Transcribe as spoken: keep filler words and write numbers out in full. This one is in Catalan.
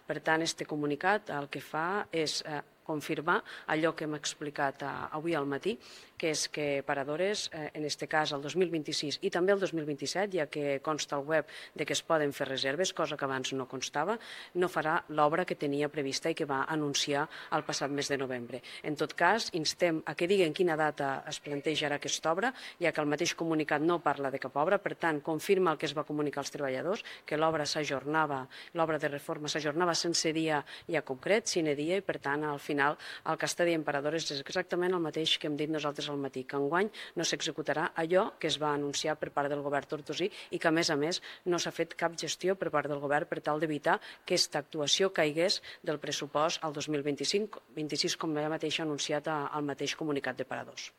Per tant, este comunicat el que fa és confirmar allò que hem explicat avui al matí, que és que Paradores, en aquest cas el dos mil vint-i-sis i també el dos mil vint-i-set, ja que consta al web de que es poden fer reserves, cosa que abans no constava, no farà l'obra que tenia prevista i que va anunciar el passat mes de novembre. En tot cas, instem a que diguen quina data es plantejarà aquesta obra, ja que el mateix comunicat no parla de cap obra, per tant, confirma el que es va comunicar als treballadors, que l'obra s'ajornava, l'obra de reforma s'ajornava sense dia ja concret, sine dia, i per tant, al final, el que està dient Paradores és exactament el mateix que hem dit nosaltres al matí, que enguany no s'executarà allò que es va anunciar per part del govern tortosí i que, a més a més, no s'ha fet cap gestió per part del govern per tal d'evitar que aquesta actuació caigués del pressupost al dos mil vint-i-cinc vint-i-sis, com ella mateixa ha anunciat al mateix comunicat de Paradors.